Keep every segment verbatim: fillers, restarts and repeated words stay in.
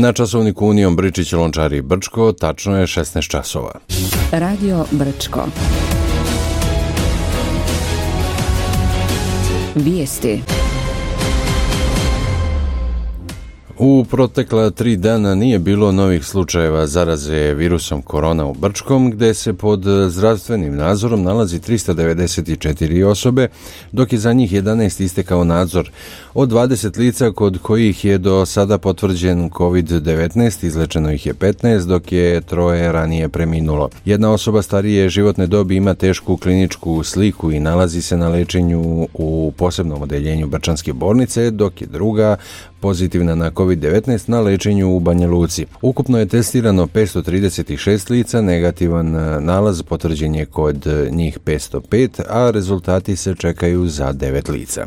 Na časovniku Unijom Bričić, Lončari, Brčko, tačno je šesnaest časova. Radio Brčko. Vijesti. U protekla tri dana nije bilo novih slučajeva zaraze virusom korona u Brčkom, gdje se pod zdravstvenim nadzorom nalazi tristo devedeset četiri osobe, dok je za njih jedanaest istekao nadzor. Od dvadeset lica kod kojih je do sada potvrđen kovid devetnaest, izlečeno ih je petnaest, dok je troje ranije preminulo. Jedna osoba starije životne dobi ima tešku kliničku sliku i nalazi se na lečenju u posebnom odeljenju Brčanske bolnice, dok je druga pozitivna na kovid devetnaest na lečenju u Banja Luci. Ukupno je testirano petsto trideset šest lica, negativan nalaz potvrđen je kod njih petsto pet, a rezultati se čekaju za devet lica.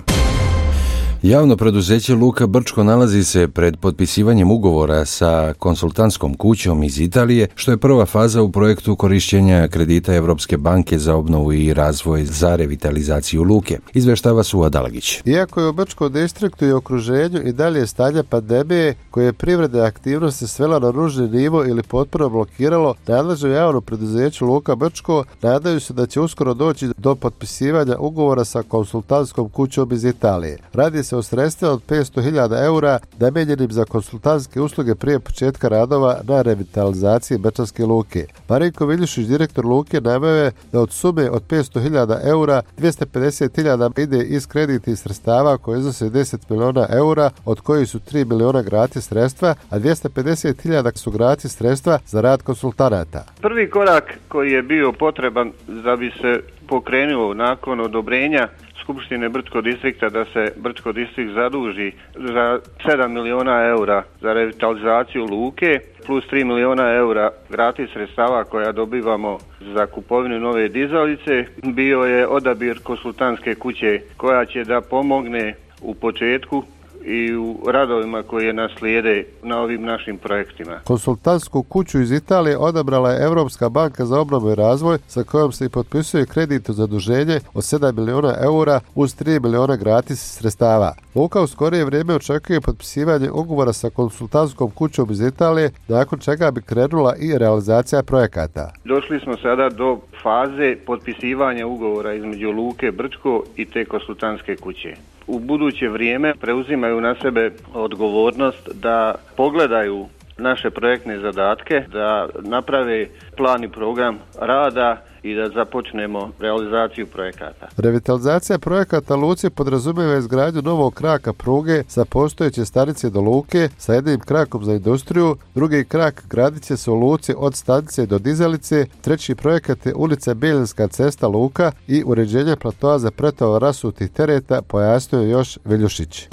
Javno preduzeće Luka Brčko nalazi se pred potpisivanjem ugovora sa konsultantskom kućom iz Italije, što je prva faza u projektu korišćenja kredita Evropske banke za obnovu i razvoj za revitalizaciju luke. Izveštava Suva Dalagić. Iako je u Brčkom distriktu i okruženju i dalje stanje pandemije koje je privredne aktivnosti svela na ružni nivo ili potpuno blokiralo, nadležno javno preduzeće Luka Brčko nadaju se da će uskoro doći do potpisivanja ugovora sa konsultantskom kućom iz Italije. Radi se o sredstva od petsto hiljada eura namijenjenim za konsultantske usluge prije početka radova na revitalizaciji Brčanske luke. Marinko Viljušić, direktor luke, naveo je da od sume od petsto hiljada eura dvjesto pedeset hiljada ide iz kreditnih sredstava koje iznose deset miliona eura, od kojih su tri miliona gratis sredstva, a dvjesto pedeset hiljada su gratis sredstva za rad konsultanata. Prvi korak koji je bio potreban da bi se pokrenulo nakon odobrenja Skupštine Brčkog distrikta da se Brčko distrikt zaduži za sedam miliona eura za revitalizaciju luke plus tri miliona eura gratis sredstava koja dobivamo za kupovinu nove dizalice, bio je odabir konsultantske kuće koja će da pomogne u početku i u radovima koje nas slijede na ovim našim projektima. Konsultantsku kuću iz Italije odabrala je Evropska banka za obnovu i razvoj, sa kojom se i potpisuje kredit u zaduženje od sedam miliona eura uz tri miliona gratis sredstava. Luka u skorije vrijeme očekuje potpisivanje ugovora sa konsultantskom kućom iz Italije, nakon čega bi krenula i realizacija projekata. Došli smo sada do faze potpisivanja ugovora između Luke Brčko i te konsultantske kuće. U buduće vrijeme preuzimaju na sebe odgovornost da pogledaju naše projektne zadatke, da naprave plan i program rada i da započnemo realizaciju projekata. Revitalizacija projekata luci podrazumijeva izgradnju novog kraka pruge sa postojeće stanice do luke sa jednim krakom za industriju, drugi krak gradit će se u luci od stanice do dizalice, treći projekat je ulica Bijeljinska cesta Luka i uređenje platoa za pretovar rasutih tereta, pojasnio je još Viljušić.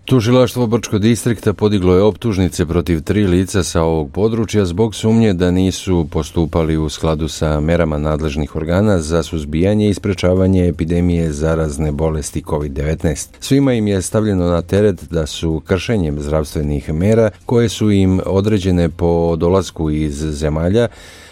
Tužilaštvo Brčkog distrikta podiglo je optužnice protiv tri lica sa ovog područja zbog sumnje da nisu postupali u skladu sa merama nadležnih organa za suzbijanje i sprečavanje epidemije zarazne bolesti kovid devetnaest. Svima im je stavljeno na teret da su kršenjem zdravstvenih mera koje su im određene po dolasku iz zemalja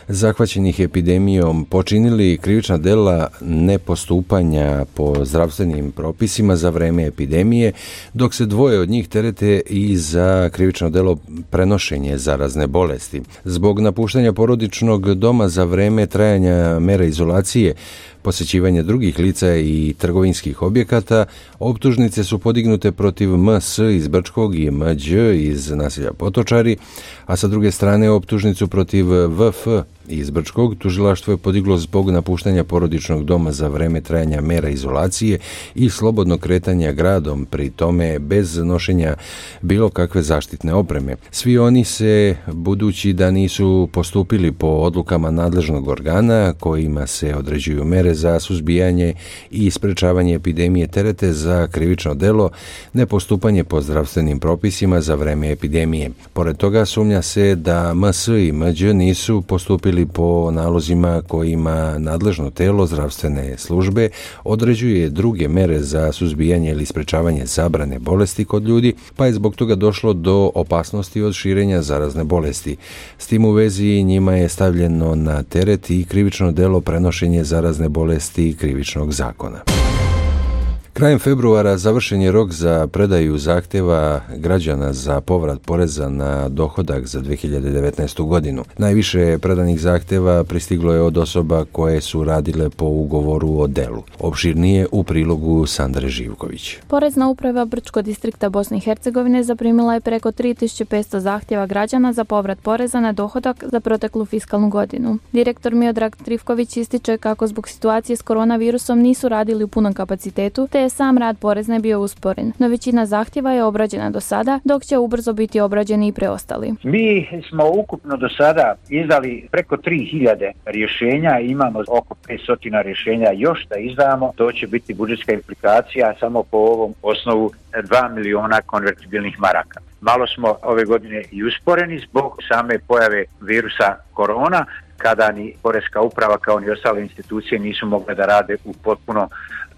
zahvaćenih epidemijom počinili krivična dela nepostupanja po zdravstvenim propisima za vreme epidemije, dok se dvoje od njih terete i za krivično delo prenošenje zarazne bolesti. Zbog napuštanja porodičnog doma za vreme trajanja mera izolacije, posjećivanje drugih lica i trgovinskih objekata, optužnice su podignute protiv M S iz Brčkog i M Đ iz naselja Potočari, a sa druge strane optužnicu protiv V F iz Brčkog tužilaštvo je podiglo zbog napuštanja porodičnog doma za vreme trajanja mera izolacije i slobodnog kretanja gradom, pri tome bez nošenja bilo kakve zaštitne opreme. Svi oni se, budući da nisu postupili po odlukama nadležnog organa kojima se određuju mere za suzbijanje i sprečavanje epidemije, terete za krivično delo nepostupanje po zdravstvenim propisima za vreme epidemije. Pored toga sumnja se da M S i M Đ nisu postupili po nalozima kojima nadležno telo zdravstvene službe određuje druge mere za suzbijanje ili sprečavanje zabrane bolesti kod ljudi, pa je zbog toga došlo do opasnosti od širenja zarazne bolesti. S tim u vezi njima je stavljeno na teret i krivično delo prenošenje zarazne bolesti krivičnog zakona. Krajem februara završen je rok za predaju zahtjeva građana za povrat poreza na dohodak za dvije hiljade devetnaestu godinu. Najviše predanih zahtjeva pristiglo je od osoba koje su radile po ugovoru o delu. Opširnije u prilogu Sandre Živković. Porezna uprava Brčkog distrikta Bosne i Hercegovine zaprimila je preko tri tisuće petsto zahtjeva građana za povrat poreza na dohodak za proteklu fiskalnu godinu. Direktor Miodrag Trifković ističe kako zbog situacije s koronavirusom nisu radili u punom kapacitetu, te je sam rad porezne bio usporen. No većina zahtjeva je obrađena do sada, dok će ubrzo biti obrađeni i preostali. Mi smo ukupno do sada izdali preko tri hiljade rješenja, imamo oko petsto rješenja još da izdamo. To će biti budžetska implikacija samo po ovom osnovu dva miliona konvertibilnih maraka. Malo smo ove godine i usporeni zbog same pojave virusa korona, kada ni Poreska uprava kao ni ostale institucije nisu mogle da rade u potpuno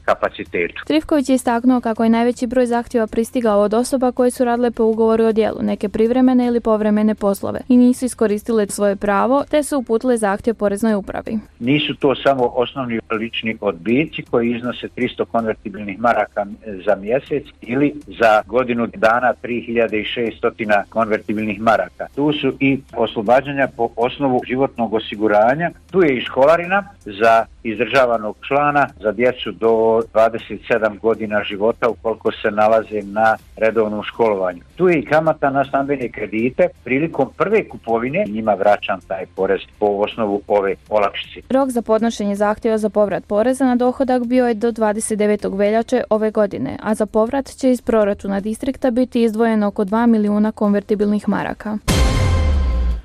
kapacitetu. Trifković je istaknuo kako je najveći broj zahtjeva pristigao od osoba koje su radile po ugovoru o djelu, neke privremene ili povremene poslove i nisu iskoristile svoje pravo, te su uputile zahtjev Poreznoj upravi. Nisu to samo osnovni lični odbici koji iznose tristo konvertibilnih maraka za mjesec ili za godinu dana tri hiljade šesto konvertibilnih maraka. Tu su i oslobađanja po osnovu životnog osiguranja, tu je i školarina za izdržavanog člana za djecu do dvadeset sedam godina života ukoliko se nalaze na redovnom školovanju. Tu je i kamata na stambene kredite. Prilikom prve kupovine njima vraćam taj porez po osnovu ove olakšice. Rok za podnošenje zahtjeva za povrat poreza na dohodak bio je do dvadeset devetog veljače ove godine, a za povrat će iz proračuna distrikta biti izdvojeno oko dva milijuna konvertibilnih maraka.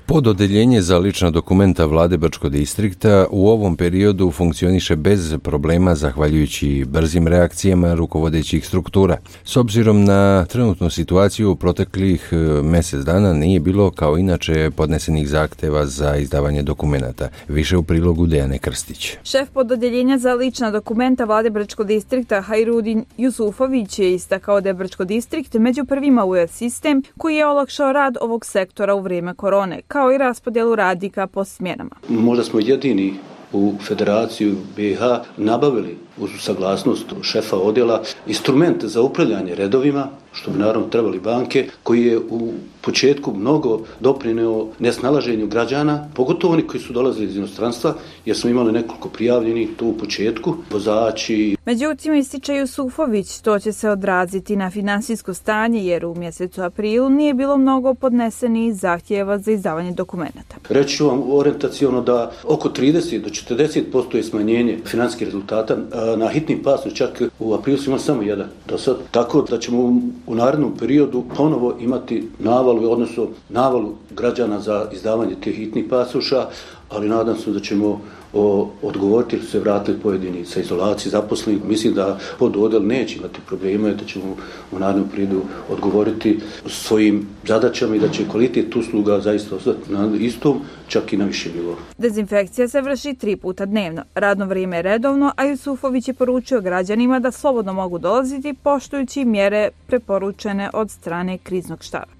Pododeljenje za lična dokumenta vlade Brčkog distrikta u ovom periodu funkcioniše bez problema zahvaljujući brzim reakcijama rukovodećih struktura. S obzirom na trenutnu situaciju u proteklih mjesec dana nije bilo kao inače podnesenih zahtjeva za izdavanje dokumenata. Više u prilogu Dejane Krstić. Šef pododeljenja za lična dokumenta vlade Brčkog distrikta Hajrudin Jusufović je istakao da je Brčkog distrikt među prvima u sistem koji je olakšao rad ovog sektora u vrijeme korone, kao i raspodjelu radnika po smjenama. Možda smo jedini u Federaciju B i H nabavili uz saglasnost šefa odjela instrument za upravljanje redovima, što bi naravno trebali banke, koji je u početku mnogo doprineo nesnalaženju građana, pogotovo oni koji su dolazili iz inostranstva, jer smo imali nekoliko prijavljenih tu u početku, vozači. Međutim, ističe Jusufović, to će se odraziti na finansijsko stanje, jer u mjesecu aprilu nije bilo mnogo podnesenih zahtjeva za izdavanje dokumenata. Reći ću vam orijentaciono da oko trideset do četrdeset posto je smanjenje financijskih rezultata. Na hitnim pasu čak u aprilu smo imali samo jedan do sad. Tako da ćemo u narednom periodu ponovo imati navalu, odnosno navalu građana za izdavanje tih hitnih pasoša, ali nadam se da ćemo o, odgovoriti jer su se vratili pojedini sa izolacije zaposlenih. Mislim da pododjel neće imati problema i da ćemo u narednom periodu odgovoriti svojim zadaćama i da će kvalitet usluga zaista ostati na istom, čak i na više nivou. Dezinfekcija se vrši tri puta dnevno. Radno vrijeme je redovno, a Jusufović je poručio građanima da slobodno mogu dolaziti poštujući mjere preporučene od strane kriznog štaba.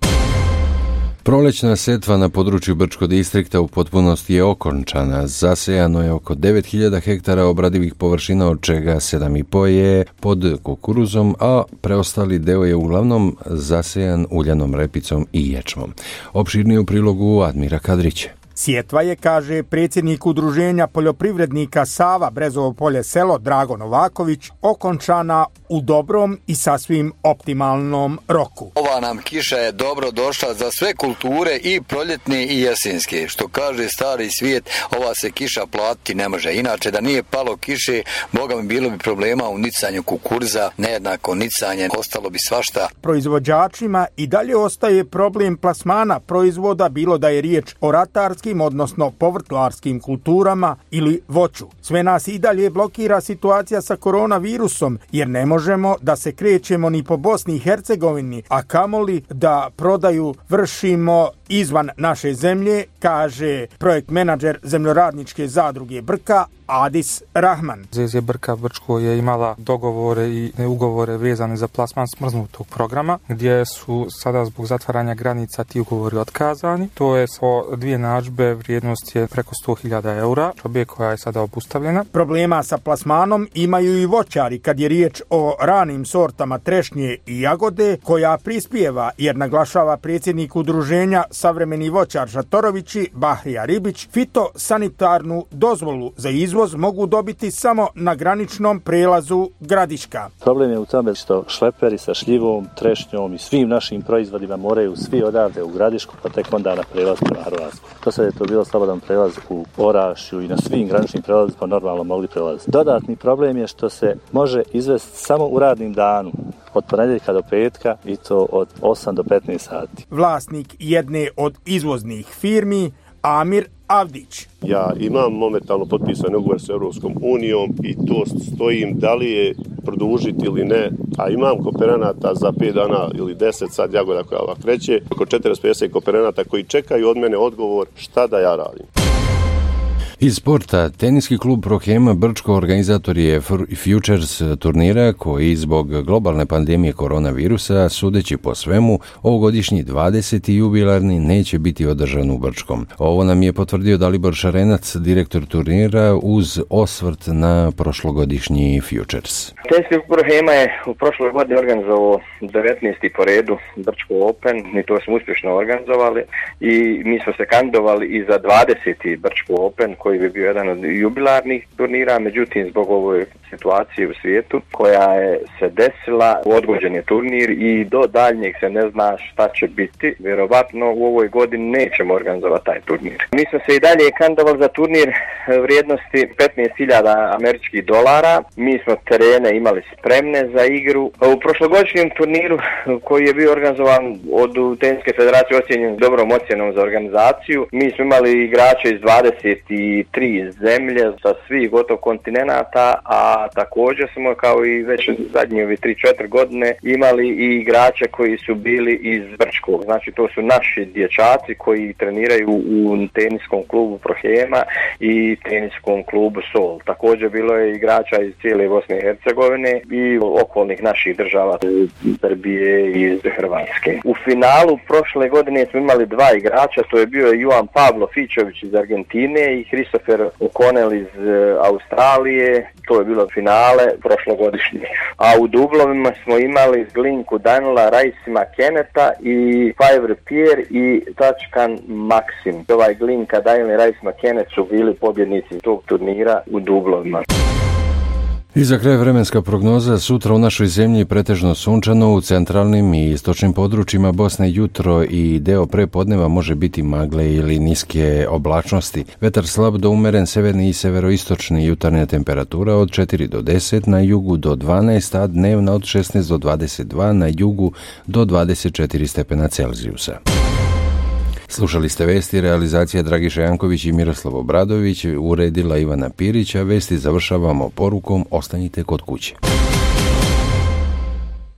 Prolećna setva na području Brčkog distrikta u potpunosti je okončana. Zasejano je oko devet hiljada hektara obradivih površina, od čega sedam i po je pod kukuruzom, a preostali deo je uglavnom zasejan uljanom repicom i ječmom. Opširnije u prilogu Admira Kadrića. Sjetva je, kaže predsjednik udruženja poljoprivrednika Sava Brezovo polje selo Drago Novaković, okončana u dobrom i sasvim optimalnom roku. Ova nam kiša je dobro došla za sve kulture, i proljetne i jesenske. Što kaže stari svijet, ova se kiša platiti ne može. Inače, da nije palo kiše, boga mi bilo bi problema u nicanju kukuruza, nejednako nicanje, ostalo bi svašta. Proizvođačima i dalje ostaje problem plasmana proizvoda, bilo da je riječ o ratarskim, odnosno povrtlarskim kulturama ili voću. Sve nas i dalje blokira situacija sa koronavirusom, jer ne možemo da se krećemo ni po Bosni i Hercegovini, a kamoli da prodaju vršimo izvan naše zemlje, kaže projekt menadžer zemljoradničke zadruge Brka Adis Rahman. Z Z Brka Brčko je imala dogovore i ugovore vezane za plasman smrznutog programa, gdje su sada zbog zatvaranja granica ti ugovori otkazani. To je so dvije narudžbe pljužbe, vrijednost je preko sto hiljada eura, objekt koja je sada obustavljena. Problema sa plasmanom imaju i voćari kad je riječ o ranim sortama trešnje i jagode, koja prispijeva, jer naglašava predsjednik udruženja Savremeni voćar Šatorovići Bahrija Ribić, fitosanitarnu dozvolu za izvoz mogu dobiti samo na graničnom prelazu Gradiška. Problem je u tome što šleperi sa šljivom, trešnjom i svim našim proizvodima moraju svi odavde u Gradišku, pa tek onda na prelaz prema Hrvatsku. Do sada je to bilo slobodan prelaz u Orašju i na svim graničnim prelazima normalno mogli prelaziti. Dodatni problem je što se može izvesti samo u radnim danu, od ponedjeljka do petka, i to od osam do petnaest sati. Vlasnik jedne od izvoznih firmi, Amir Avdić. Ja imam momentalno potpisan ugovor s Europskom unijom i to stojim da li je produžiti ili ne, a imam kooperanata za pet dana ili deset sad jagoda koja ovak kreće, oko četristo pedeset kooperanata koji čekaju od mene odgovor šta da ja radim. Iz sporta, teniski klub Prohema Brčko organizator je Futures turnira koji zbog globalne pandemije koronavirusa, sudeći po svemu, ovogodišnji dvadeseti jubilarni neće biti održan u Brčkom. Ovo nam je potvrdio Dalibor Šarenac, direktor turnira, uz osvrt na prošlogodišnji Futures. Teniski klub Prohema je u prošloj godini organizovao devetnaesti po redu Brčko Open i to smo uspješno organizovali i mi smo se kandidovali i za dvadeseti Brčko Open koji bi bio jedan od jubilarnih turnira, međutim zbog ove situacije u svijetu koja je se desila, odgođen je turnir i do daljnjeg se ne zna šta će biti. Vjerovatno u ovoj godini nećemo organizovati taj turnir. Mi smo se i dalje kandidovali za turnir vrijednosti petnaest hiljada američkih dolara. Mi smo terene imali spremne za igru. U prošlogodišnjem turniru koji je bio organizovan od Teniske federacije ocjenjen dobrom ocjenom za organizaciju, mi smo imali igrače iz dvadeset tri zemlje sa svih gotovo kontinenata, a također smo kao i već zadnje ove tri četiri godine imali i igrače koji su bili iz Brčkog. Znači to su naši dječaci koji treniraju u teniskom klubu Prohema i teniskom klubu Sol. Također bilo je igrača iz cijele Bosne i Hercegovine i okolnih naših država, Srbije i iz Hrvatske. U finalu prošle godine smo imali dva igrača, to je bio Juan Pablo Fičović iz Argentine i Christopher O'Connell iz Australije. To je bilo finale prošlogodišnje. A u dublovima smo imali Glinku Danila, Raisima Keneta i Fiver Pierre i Tačkan Maksim. Ovaj Glinka Danila i Raisima Kenet su bili pobjednici tog turnira u dublovima. I za kraj vremenska prognoza, sutra u našoj zemlji pretežno sunčano, u centralnim i istočnim područjima Bosne jutro i deo prepodneva može biti magle ili niske oblačnosti. Vetar slab do umeren, severni i severoistočni, jutarnja temperatura od četiri do deset, na jugu do dvanaest, a dnevna od šesnaest do dvadeset dva, na jugu do dvadeset četiri stepena Celzijusa. Slušali ste vesti, realizacija Dragiša Janković i Miroslav Obradović, uredila Ivana Pirić, a vesti završavamo porukom ostanite kod kuće.